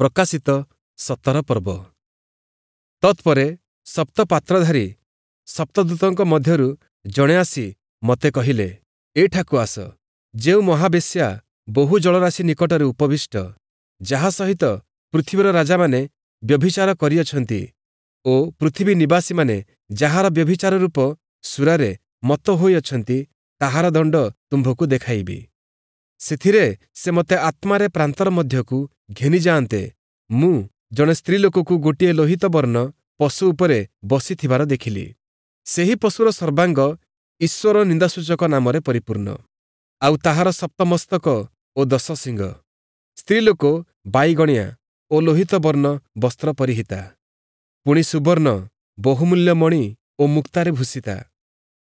ପ୍ରକାଶିତ 17 ପର୍ବ। ତତ୍ପରେ ସପ୍ତ ପାତ୍ରଧାରୀ ସପ୍ତଦୂତଙ୍କ ମଧ୍ୟରୁ ଜଣେ ଆସି ମୋତେ କହିଲେ, ଏଠାକୁ ଆସ, ଯେଉଁ ମହାବେଶ୍ୟା ବହୁ ଜଳରାଶି ନିକଟରେ ଉପବିଷ୍ଟ, ଯାହା ସହିତ ପୃଥିବୀର ରାଜାମାନେ ବ୍ୟଭିଚାର କରିଅଛନ୍ତି ଓ ପୃଥିବୀ ନିବାସୀମାନେ ଯାହାର ବ୍ୟଭିଚାର ରୂପ ସୁରାରେ ମତ୍ତ ହୋଇଅଛନ୍ତି, ତାହାର ଦଣ୍ଡ ତୁମ୍ଭକୁ ଦେଖାଇବି। ସେଥିରେ ସେ ମୋତେ ଆତ୍ମାରେ ପ୍ରାନ୍ତର ମଧ୍ୟକୁ ଘେନିଯାଆନ୍ତେ, ମୁଁ ଜଣେ ସ୍ତ୍ରୀଲୋକକୁ ଗୋଟିଏ ଲୋହିତ ବର୍ଣ୍ଣ ପଶୁ ଉପରେ ବସିଥିବାର ଦେଖିଲି। ସେହି ପଶୁର ସର୍ବାଙ୍ଗ ଈଶ୍ୱର ନିନ୍ଦାସୂଚକ ନାମରେ ପରିପୂର୍ଣ୍ଣ, ଆଉ ତାହାର ସପ୍ତ ମସ୍ତକ ଓ 10 ଶିଙ୍ଗ। ସ୍ତ୍ରୀଲୋକ ବାଇଗଣିଆ ଓ ଲୋହିତ ବର୍ଣ୍ଣ ବସ୍ତ୍ର ପରିହିତା, ପୁଣି ସୁବର୍ଣ୍ଣ, ବହୁମୂଲ୍ୟ ମଣି ଓ ମୁକ୍ତାରେ ଭୂଷିତା।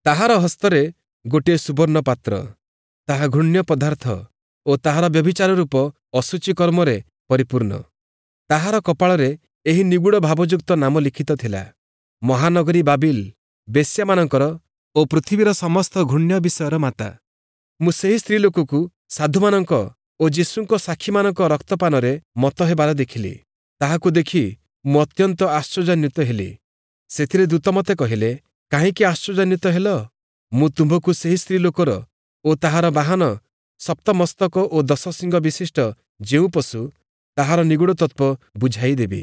ତାହାର ହସ୍ତରେ ଗୋଟିଏ ସୁବର୍ଣ୍ଣ ପାତ୍ର, ତାହା ଘୃଣ୍ୟ ପଦାର୍ଥ ଓ ତାହାର ବ୍ୟଭିଚାର ରୂପ ଅଶୁଚି କର୍ମରେ ପରିପୂର୍ଣ୍ଣ। ତାହାର କପାଳରେ ଏହି ନିଗୂଢ଼ ଭାବଯୁକ୍ତ ନାମ ଲିଖିତ ଥିଲା, ମହାନଗରୀ ବାବିଲ, ବେଶ୍ୟାମାନଙ୍କର ଓ ପୃଥିବୀର ସମସ୍ତ ଘୃଣ୍ୟ ବିଷୟର ମାତା। ମୁଁ ସେହି ସ୍ତ୍ରୀଲୋକକୁ ସାଧୁମାନଙ୍କ ଓ ଯୀଶୁଙ୍କ ସାକ୍ଷୀମାନଙ୍କ ରକ୍ତପାନରେ ମତ୍ତ ହେବାର ଦେଖିଲି। ତାହାକୁ ଦେଖି ମୁଁ ଅତ୍ୟନ୍ତ ଆଶ୍ଚର୍ଯ୍ୟାନ୍ୱିତ ହେଲି। ସେଥିରେ ଦୂତ ମୋତେ କହିଲେ, କାହିଁକି ଆଶ୍ଚର୍ଯ୍ୟାନ୍ୱିତ ହେଲ? ମୁଁ ତୁମ୍ଭକୁ ସେହି ସ୍ତ୍ରୀଲୋକର ଓ ତାହାର ବାହନ ସପ୍ତ ମସ୍ତକ ଓ 10 ଶିଙ୍ଗ ବିଶିଷ୍ଟ ଯେଉଁ ପଶୁ, ତାହାର ନିଗୂଢ଼ ତତ୍ତ୍ୱ ବୁଝାଇଦେବି।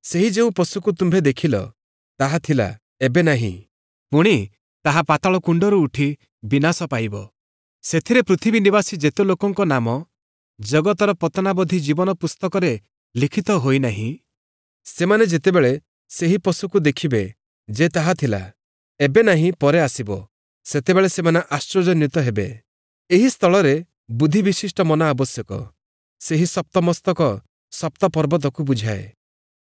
ସେହି ଯେଉଁ ପଶୁକୁ ତୁମ୍ଭେ ଦେଖିଲ, ତାହା ଥିଲା, ଏବେ ନାହିଁ, ପୁଣି ତାହା ପାତାଳ କୁଣ୍ଡରୁ ଉଠି ବିନାଶ ପାଇବ। ସେଥିରେ ପୃଥିବୀ ନିବାସୀ ଯେତେ ଲୋକଙ୍କ ନାମ ଜଗତର ପତନାବଧି ଜୀବନ ପୁସ୍ତକରେ ଲିଖିତ ହୋଇନାହିଁ, ସେମାନେ ଯେତେବେଳେ ସେହି ପଶୁକୁ ଦେଖିବେ ଯେ ତାହା ଥିଲା, ଏବେ ନାହିଁ, ପରେ ଆସିବ, ସେତେବେଳେ ସେମାନେ ଆଶ୍ଚର୍ଯ୍ୟାନ୍ୱିତ ହେବେ। ଏହି ସ୍ଥଳରେ ବୁଦ୍ଧି ବିଶିଷ୍ଟ ମନ ଆବଶ୍ୟକ। ସେହି ସପ୍ତମସ୍ତକ ସପ୍ତ ପର୍ବତକୁ ବୁଝାଏ।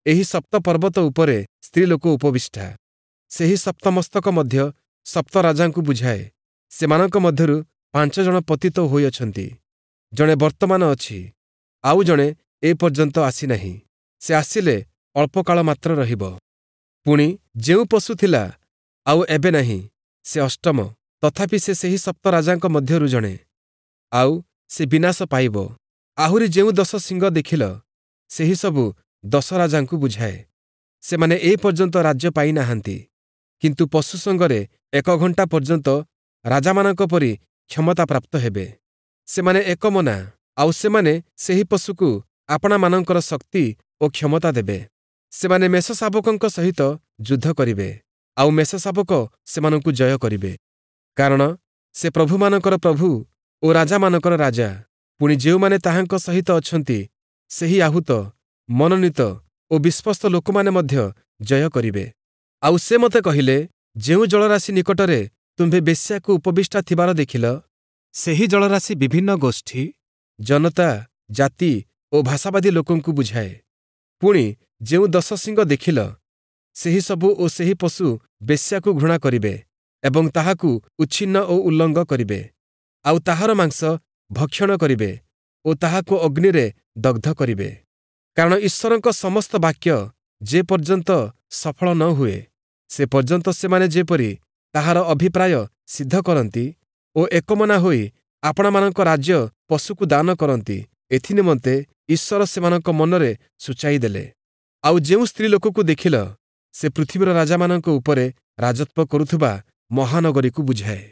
ଏହି ସପ୍ତ ପର୍ବତ ଉପରେ ସ୍ତ୍ରୀଲୋକ ଉପବିଷ୍ଟା। ସେହି ସପ୍ତମସ୍ତକ ମଧ୍ୟ ସପ୍ତ ରାଜାଙ୍କୁ ବୁଝାଏ। ସେମାନଙ୍କ ମଧ୍ୟରୁ 5 ଜଣ ପତିତ ହୋଇଅଛନ୍ତି। ଜଣେ ବର୍ତ୍ତମାନ ଅଛି, ଆଉ ଜଣେ ଏ ପର୍ଯ୍ୟନ୍ତ ଆସିନାହିଁ। ସେ ଆସିଲେ ଅଳ୍ପକାଳ ମାତ୍ର ରହିବ। ପୁଣି ଯେଉଁ ପଶୁ ଥିଲା, ଆଉ ଏବେ ନାହିଁ, ସେ ଅଷ୍ଟମ, ତଥାପି ସେ ସେହି ସପ୍ତ ରାଜାଙ୍କ ମଧ୍ୟରୁ ଜଣେ, ଆଉ ସେ ବିନାଶ ପାଇବ। ଆହୁରି ଯେଉଁ 10 ଶିଙ୍ଗ ଦେଖିଲ, ସେହି ସବୁ 10 ରାଜାଙ୍କୁ ବୁଝାଏ। ସେମାନେ ଏ ପର୍ଯ୍ୟନ୍ତ ରାଜ୍ୟ ପାଇନାହାନ୍ତି, କିନ୍ତୁ ପଶୁ ସଙ୍ଗରେ 1 ଘଣ୍ଟା ପର୍ଯ୍ୟନ୍ତ ରାଜାମାନଙ୍କ ପରି କ୍ଷମତା ପ୍ରାପ୍ତ ହେବେ। ସେମାନେ ଏକମନା, ଆଉ ସେମାନେ ସେହି ପଶୁକୁ ଆପଣାମାନଙ୍କର ଶକ୍ତି ଓ କ୍ଷମତା ଦେବେ। ସେମାନେ ମେଷଶାବକଙ୍କ ସହିତ ଯୁଦ୍ଧ କରିବେ, ଆଉ ମେଷଶାବକ ସେମାନଙ୍କୁ ଜୟ କରିବେ, କାରଣ ସେ ପ୍ରଭୁମାନଙ୍କର ପ୍ରଭୁ ଓ ରାଜାମାନଙ୍କର ରାଜା। ପୁଣି ଯେଉଁମାନେ ତାହାଙ୍କ ସହିତ ଅଛନ୍ତି, ସେହି ଆହୁତ, ମନୋନୀତ ଓ ବିଶ୍ୱସ୍ତ ଲୋକମାନେ ମଧ୍ୟ ଜୟ କରିବେ। ଆଉ ସେ ମୋତେ କହିଲେ, ଯେଉଁ ଜଳରାଶି ନିକଟରେ ତୁମ୍ଭେ ବେଶ୍ୟାକୁ ଉପବିଷ୍ଟା ଥିବାର ଦେଖିଲ, ସେହି ଜଳରାଶି ବିଭିନ୍ନ ଗୋଷ୍ଠୀ, ଜନତା, ଜାତି ଓ ଭାଷାବାଦୀ ଲୋକଙ୍କୁ ବୁଝାଏ। ପୁଣି ଯେଉଁ 10 ଶିଙ୍ଗ ଦେଖିଲ, ସେହି ସବୁ ଓ ସେହି ପଶୁ ବେଶ୍ୟାକୁ ଘୃଣା କରିବେ ଏବଂ ତାହାକୁ ଉଚ୍ଛିନ୍ନ ଓ ଉଲ୍ଲଙ୍ଗ କରିବେ, ଆଉ ତାହାର ମାଂସ ଭକ୍ଷଣ କରିବେ ଓ ତାହାକୁ ଅଗ୍ନିରେ ଦଗ୍ଧ କରିବେ। କାରଣ ଈଶ୍ୱରଙ୍କ ସମସ୍ତ ବାକ୍ୟ ଯେ ପର୍ଯ୍ୟନ୍ତ ସଫଳ ନ ହୁଏ, ସେ ପର୍ଯ୍ୟନ୍ତ ସେମାନେ ଯେପରି ତାହାର ଅଭିପ୍ରାୟ ସିଦ୍ଧ କରନ୍ତି ଓ ଏକମନା ହୋଇ ଆପଣାମାନଙ୍କ ରାଜ୍ୟ ପଶୁକୁ ଦାନ କରନ୍ତି, ଏଥିନିମନ୍ତେ ଈଶ୍ୱର ସେମାନଙ୍କ ମନରେ ସୂଚାଇ ଦେଲେ। ଆଉ ଯେଉଁ ସ୍ତ୍ରୀ ଲୋକକୁ ଦେଖିଲ, ସେ ପୃଥିବୀର ରାଜାମାନଙ୍କ ଉପରେ ରାଜତ୍ୱ କରୁଥିବା ମହାନଗରୀକୁ ବୁଝାଏ।